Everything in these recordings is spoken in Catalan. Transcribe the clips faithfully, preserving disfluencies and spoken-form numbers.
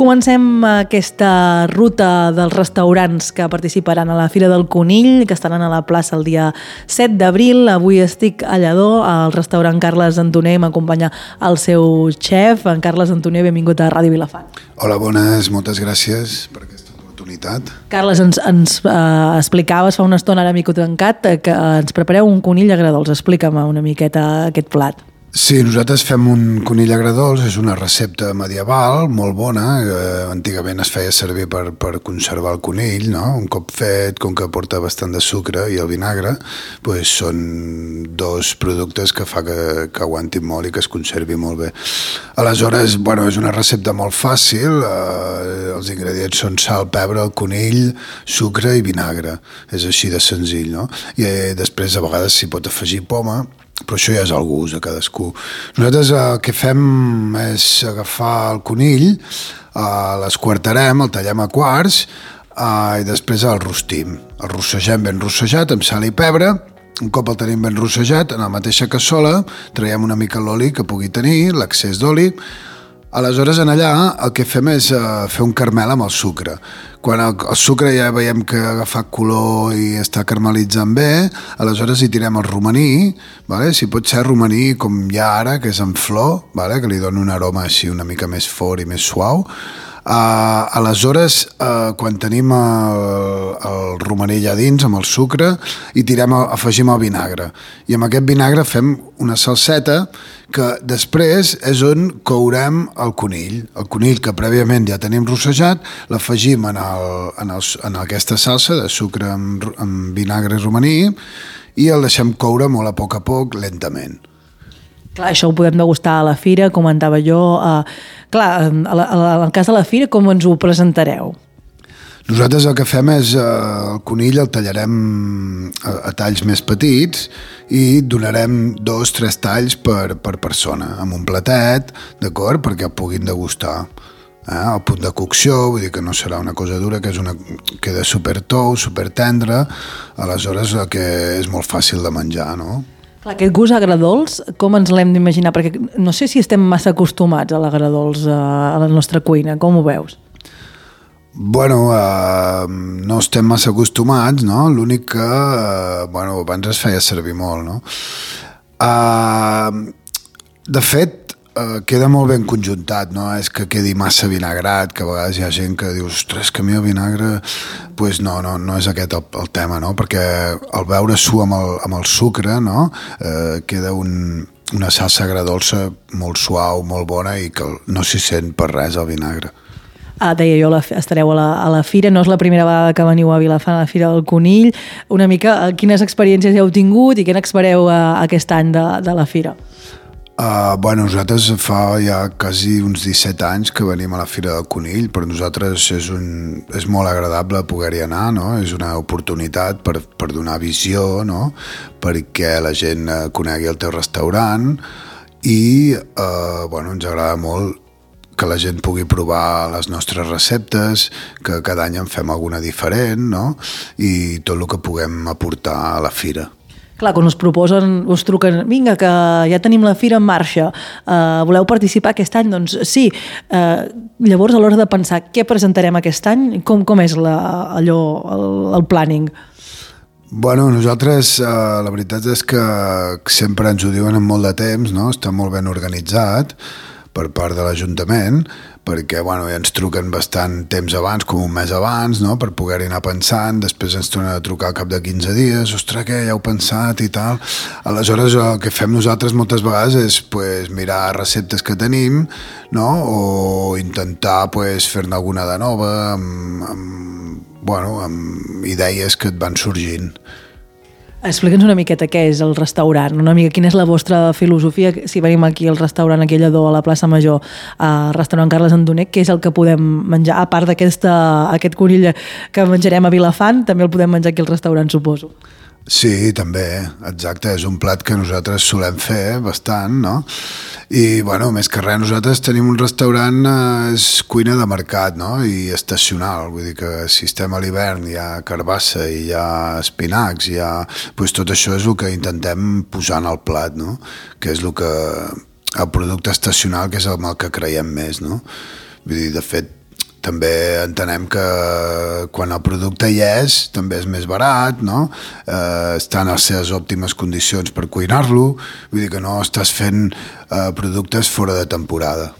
comencem aquesta ruta dels restaurants que participaran a la Fira del Conill, que estaran a la plaça el dia set d'abril. Avui estic a Lledó, al restaurant Carles Antoner, m'acompanya el seu xef. En Carles Antoner, benvingut a Ràdio Vilafant. Hola, bones, moltes gràcies per aquesta oportunitat. Carles, ens, ens eh, explicaves fa una estona, ara mico trencat, que ens prepareu un conill agradols. Explica'm una miqueta aquest plat. Sí, nosaltres fem un conill agradols, és una recepta medieval molt bona, eh, antigament es feia servir per, per conservar el conill, no? Un cop fet, com que porta bastant de sucre i el vinagre, pues són dos productes que fa que, que aguantin molt i que es conservi molt bé. Aleshores, bueno, és una recepta molt fàcil, eh, els ingredients són sal, pebre, el conill, sucre i vinagre, és així de senzill, no? I eh, després a vegades s'hi pot afegir poma, però això ja és el gust de cadascú. Nosaltres el que fem és agafar el conill, eh, l'esquartarem, el tallem a quarts eh, i després el rostim. El rossegem ben rossejat amb sal i pebre. Un cop el tenim ben rossejat, en la mateixa cassola traiem una mica l'oli que pugui tenir, l'excés d'oli. Aleshores, en allà el que fem és uh, fer un caramel amb el sucre. Quan el, el sucre ja veiem que ha agafat color i està caramelitzant bé, aleshores hi tirem el romaní, vale? Si pot ser romaní com hi ha ara, que és en flor, vale? Que li dona un aroma així una mica més fort i més suau. Uh, aleshores, uh, quan tenim el, el romaní allà dins amb el sucre, hi tirem, afegim el vinagre. I amb aquest vinagre fem una salseta que després és on courem el conill. El conill que prèviament ja tenim rossejat, l'afegim en, el, en, el, en aquesta salsa de sucre amb, amb vinagre i romaní i el deixem coure molt a poc a poc, lentament. Clar, això ho podem degustar a la fira, comentava jo. Eh, clar, en el cas de la fira, com ens ho presentareu? Nosaltres el que fem és, eh, el conill el tallarem a, a talls més petits i donarem dos, tres talls per, per persona, amb un platet, d'acord?, perquè el puguin degustar. Eh, el punt de cocció, vull dir que no serà una cosa dura, que és una, queda super tou, super tendre, aleshores el que és molt fàcil de menjar, no? Clar, aquest gust agradols, com ens l'hem d'imaginar? Perquè no sé si estem massa acostumats a l'agradols a la nostra cuina, com ho veus? Bueno, eh, no estem massa acostumats, no? L'únic que, eh, bueno, abans es feia servir molt, no? Eh, de fet, Uh, queda molt ben conjuntat, no és que quedi massa vinagrat, que a vegades hi ha gent que diu, ostres, que a mi el vinagre... Pues no, no, no és aquest el, el tema, no? Perquè al veure su amb el, amb el sucre, no? Uh, queda un, una salsa agradolça molt suau, molt bona i que no s'hi sent per res el vinagre. Ah, deia jo, la, estareu a la, a la fira, no és la primera vegada que veniu a Vilafant a la Fira del Conill. Una mica, quines experiències heu tingut i què n'espereu uh, aquest any de, de la fira? Uh, bueno, nosaltres fa ja quasi uns disset anys que venim a la Fira del Conill. Per nosaltres és, un, és molt agradable poder-hi anar, no? És una oportunitat per, per donar visió, no? Perquè la gent conegui el teu restaurant i uh, bueno, ens agrada molt que la gent pugui provar les nostres receptes, que cada any en fem alguna diferent, no? I tot el que puguem aportar a la fira. Clar, quan us proposen, us truquen, vinga, que ja tenim la fira en marxa, uh, voleu participar aquest any? Doncs sí. Uh, llavors, a l'hora de pensar què presentarem aquest any, com, com és la, allò, el, el planning? Bueno, nosaltres, eh, la veritat és que sempre ens ho diuen en molt de temps, no? Està molt ben organitzat per part de l'Ajuntament, perquè bueno, ja ens truquen bastant temps abans, com un mes abans, no? Per poder-hi anar pensant, després ens tornen a trucar al cap de quinze dies, ostres, què, ja heu pensat i tal. Aleshores, el que fem nosaltres moltes vegades és pues, mirar receptes que tenim, no? O intentar pues, fer-ne alguna de nova, amb, amb, bueno, amb idees que et van sorgint. Explica'ns una miqueta què és el restaurant, una mica quina és la vostra filosofia, si venim aquí al restaurant aquí a Lledó, a la plaça Major, al restaurant Carles Antoner, què és el que podem menjar, a part d'aquest conill que menjarem a Vilafant, també el podem menjar aquí al restaurant, suposo. Sí, també, exacte, és un plat que nosaltres solem fer bastant, no? I, bueno, més que res, nosaltres tenim un restaurant, eh, és cuina de mercat, no? I estacional, vull dir que si estem a l'hivern hi ha carbassa i hi ha espinacs, hi ha... Pues tot això és el que intentem posar en el plat, no? Que és el que... el producte estacional, que és amb el que creiem més, no? Vull dir, de fet, també entenem que quan el producte hi és també és més barat, no? Eh, està en les seves òptimes condicions per cuinar-lo, vull dir que no estàs fent eh, productes fora de temporada.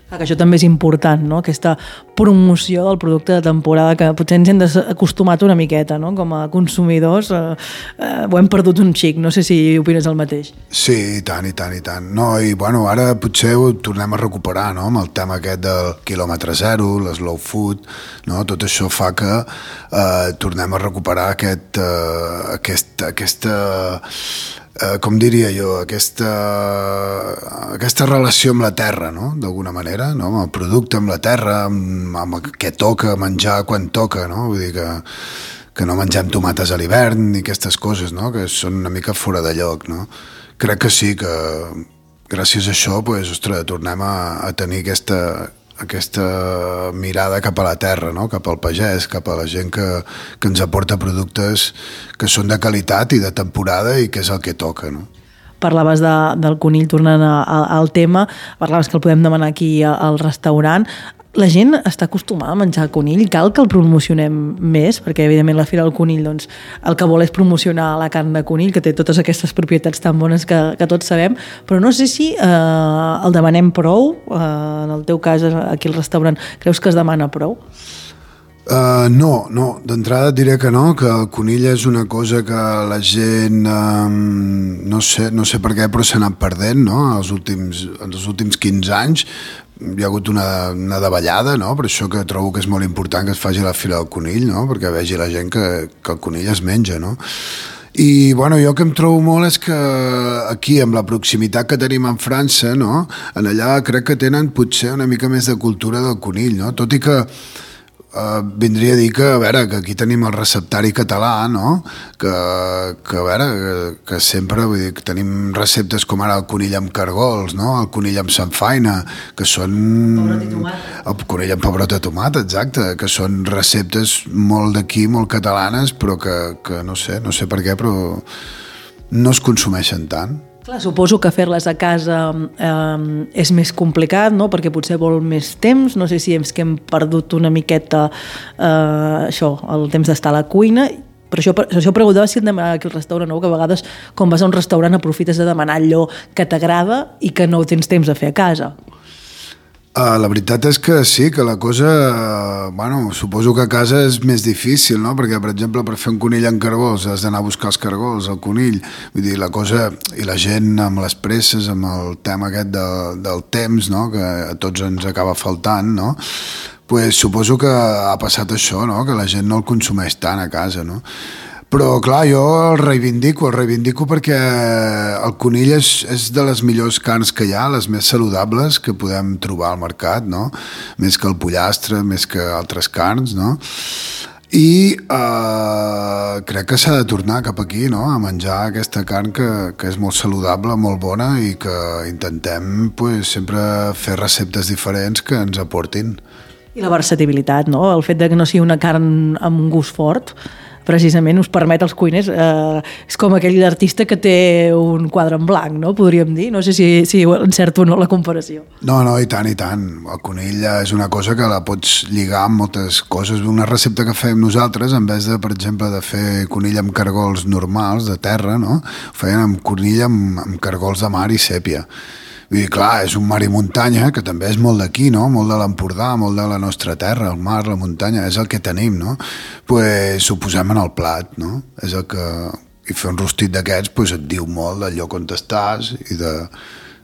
Que això també és important, no? Aquesta promoció del producte de temporada que potser ens hem acostumat una miqueta, no? Com a consumidors eh, eh, ho hem perdut un xic, no sé si opines el mateix. Sí, i tant, i tant, i tant. No, i bueno, ara potser ho tornem a recuperar, no? Amb el tema aquest del quilòmetre zero, l'eslow food, no? Tot això fa que eh, tornem a recuperar aquest, eh, aquest, aquesta... Eh, com diria jo, aquesta, aquesta relació amb la terra, no? D'alguna manera, no? Amb el producte, amb la terra, amb, amb què toca menjar quan toca, no? Vull dir que, que no mengem tomates a l'hivern ni aquestes coses, no? Que són una mica fora de lloc, no? Crec que sí, que gràcies a això pues, ostres, tornem a, a tenir aquesta, aquesta mirada cap a la terra, no? Cap al pagès, cap a la gent que, que ens aporta productes que són de qualitat i de temporada i que és el que toca, no? Parlaves de, del conill, tornant a, a, al tema, parlaves que el podem demanar aquí al restaurant. La gent està acostumada a menjar conill, cal que el promocionem més, perquè evidentment la Fira del Conill doncs, el que vol és promocionar la carn de conill, que té totes aquestes propietats tan bones que, que tots sabem, però no sé si eh, el demanem prou, eh, en el teu cas aquí al restaurant, creus que es demana prou? Uh, no, no, d'entrada et diré que no, que el conill és una cosa que la gent, um, no sé, no sé per què, però s'ha anat perdent, no? Els últims, en els últims quinze anys hi ha hagut una, una davallada, no? Per això que trobo que és molt important que es faci la Fira del Conill, no? Perquè vegi la gent que, que el conill es menja, no? I bueno, jo que em trobo molt és que aquí, amb la proximitat que tenim amb França, no? En allà crec que tenen potser una mica més de cultura del conill, no? Tot i que Uh, vindria a dir que, a veure, que aquí tenim el receptari català, no? Que, que a veure, que, que sempre, vull dir, que tenim receptes com ara el conill amb cargols, no? El conill amb samfaina, que són... Pebrot i tomat. El conill amb pebrot i tomat, exacte, que són receptes molt d'aquí, molt catalanes, però que, que no sé, no sé per què, però no es consumeixen tant. Clar, suposo que fer-les a casa eh, és més complicat, no? Perquè potser vol més temps, no sé si és que hem perdut una miqueta eh, això, el temps d'estar a la cuina, però això, això preguntava si et demanava aquí al restaurant, no? Que a vegades quan vas a un restaurant aprofites de demanar allò que t'agrada i que no tens temps de fer a casa. Uh, la veritat és que sí, que la cosa, uh, bueno, suposo que a casa és més difícil, no? Perquè, per exemple, per fer un conill amb cargols has d'anar a buscar els cargols, el conill, vull dir, la cosa, i la gent amb les presses, amb el tema aquest de, del temps, no? Que a tots ens acaba faltant, no? Pues suposo que ha passat això, no? Que la gent no el consumeix tant a casa, no? Però, clar, jo el reivindico, el reivindico perquè el conill és, és de les millors carns que hi ha, les més saludables que podem trobar al mercat, no? Més que el pollastre, més que altres carns, no? I eh, crec que s'ha de tornar cap aquí, no? A menjar aquesta carn que, que és molt saludable, molt bona i que intentem pues, sempre fer receptes diferents que ens aportin. I la versatilitat, no? El fet de que no sigui una carn amb un gust fort, precisament us permet als cuiners, eh, és com aquell artista que té un quadre en blanc, no? Podríem dir, no sé si, si encerto o no la comparació. No, no, i tant, i tant. El conill és una cosa que la pots lligar amb moltes coses. Una recepta que fem nosaltres, en vez de, per exemple, de fer conill amb cargols normals, de terra, no? Ho feien amb conill amb, amb cargols de mar i sèpia. Vull dir, clar, és un mar i muntanya, que també és molt d'aquí, no? Molt de l'Empordà, molt de la nostra terra, el mar, la muntanya, és el que tenim, no? Pues ho posem en el plat, no? És el que... I fer un rostit d'aquests pues, et diu molt del lloc on estàs i de,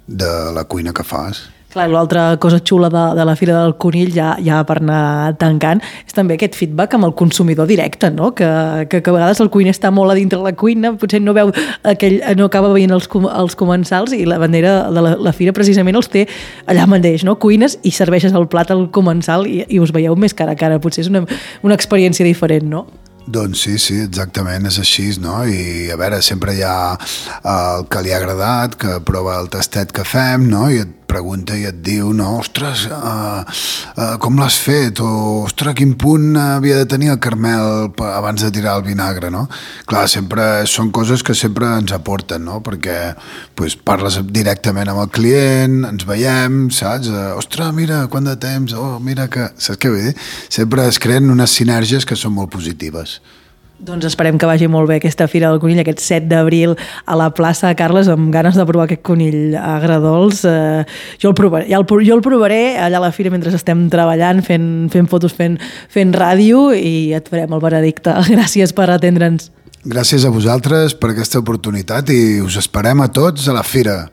de la cuina que fas. Clar, l'altra cosa xula de, de la Fira del Conill, ja, ja per anar tancant, és també aquest feedback amb el consumidor directe, no? Que, que, que a vegades el cuiner està molt a dintre de la cuina, potser no veu aquell, no acaba veient els, els comensals i la bandera de la, la Fira precisament els té allà mateix, no? Cuines i serveixes el plat al comensal i, i us veieu més cara a cara, potser és una, una experiència diferent, no? Doncs sí, sí, exactament, és així, no? I a veure, sempre hi ha el que li ha agradat, que prova el tastet que fem, no? I et pregunta i et diu, no, ostres, uh, uh, com l'has fet? O, ostres, quin punt havia de tenir el Carmel abans de tirar el vinagre, no? Clar, sempre són coses que sempre ens aporten, no? Perquè pues, parles directament amb el client, ens veiem, saps? Uh, ostres, mira, quant de temps, oh, mira que... Saps què vull dir? Sempre es creen unes sinergies que són molt positives. Doncs esperem que vagi molt bé aquesta Fira del Conill, aquest set d'abril a la plaça Carles, amb ganes de provar aquest conill agredolç. Eh, jo, el provaré, ja el, jo el provaré allà a la fira mentre estem treballant, fent, fent fotos, fent, fent ràdio, i et farem el veredicte. Gràcies per atendre'ns. Gràcies a vosaltres per aquesta oportunitat i us esperem a tots a la fira.